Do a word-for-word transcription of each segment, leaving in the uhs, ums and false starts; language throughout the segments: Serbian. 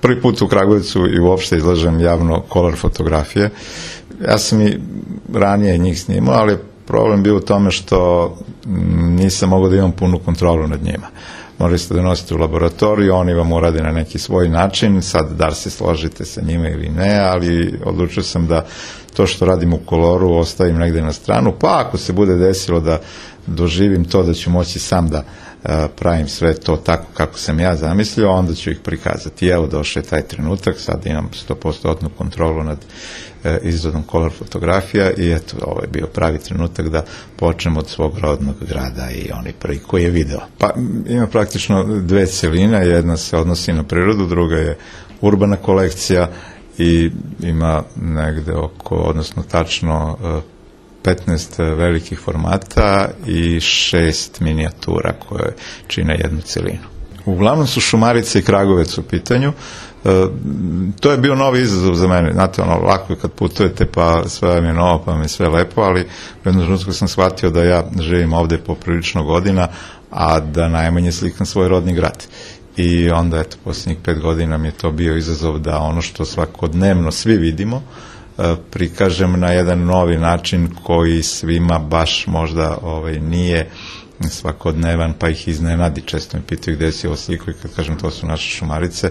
prvi put u Kragujevcu i uopšte izlažem javno kolor fotografije. Ja sam i ranije njih snimao, ali problem bio u tome što nisam mogao da imam punu kontrolu nad njima. Morali ste da nosite u laboratoriju, oni vam urade na neki svoj način, sad da li se složite sa njima ili ne, ali odlučio sam da to što radim u koloru ostavim negde na stranu, pa ako se bude desilo da doživim to da ću moći sam da pravim sve to tako kako sam ja zamislio, onda ću ih prikazati. I evo došao je taj trenutak, sad imam sto posto kontrolu nad izradom kolor fotografija i eto, ovo je bio pravi trenutak da počnem od svog rodnog grada i oni prvi koji je video. Pa ima praktično dve celine, jedna se odnosi na prirodu, druga je urbana kolekcija i ima negde oko, odnosno tačno petnaest velikih formata i šest minijatura koje čine jednu celinu. Uglavnom su Šumarice i Kragovec u pitanju. E, to je bio novi izazov za mene. Znate, ono, lako je kad putujete pa sve vam je novo, pa vam je sve lepo, ali u jednom trenutku sam shvatio da ja živim ovde poprilično godina, a da najmanje slikam svoj rodni grad. I onda, eto, posljednjih pet godina mi je to bio izazov da ono što svakodnevno svi vidimo, prikažem na jedan novi način koji svima baš možda ovaj, nije svakodnevan, pa ih iznenadi. Često mi pitaju gde si ovo sliku i kad kažem to su naše Šumarice,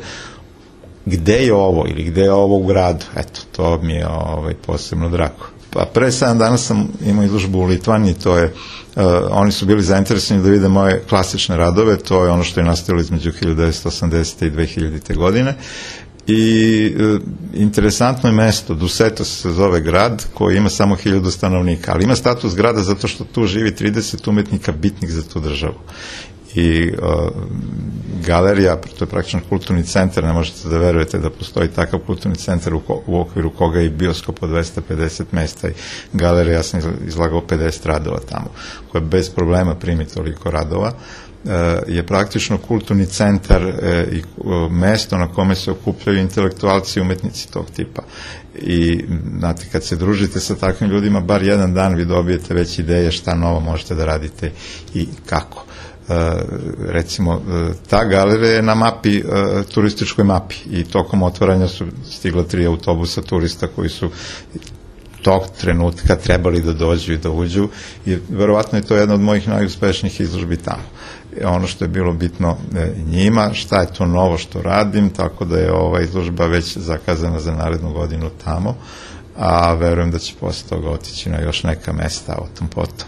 gde je ovo ili gde je ovo u gradu, eto, to mi je ovaj, posebno drago. Pa pre sedam dana sam imao izložbu u Litvaniji, to je, uh, oni su bili zainteresovani da vide moje klasične radove, to je ono što je nastavilo između hiljadu devetsto osamdesete i dve hiljadite godine. I e, interesantno je mesto, Duseto se zove grad koji ima samo hiljadu stanovnika, ali ima status grada zato što tu živi trideset umetnika bitnih za tu državu. I e, galerija, to je praktično kulturni centar, ne možete da verujete da postoji takav kulturni centar u, ko, u okviru koga je bioskop od dvesta pedeset mesta i galerija, ja sam izlagao pedeset radova tamo, koja bez problema primi toliko radova. Je praktično kulturni centar i mesto na kome se okupljaju intelektualci i umetnici tog tipa. I, znate, kad se družite sa takvim ljudima, bar jedan dan vi dobijete već ideje šta novo možete da radite i kako. Recimo, ta galerija je na mapi, turističkoj mapi i tokom otvaranja su stigla tri autobusa turista koji su tog trenutka trebali da dođu i da uđu i verovatno je to jedna od mojih najuspešnijih izložbi tamo. Ono što je bilo bitno njima, šta je to novo što radim, tako da je ova izložba već zakazana za narednu godinu tamo, a verujem da će posle toga otići na još neka mesta o tom potom.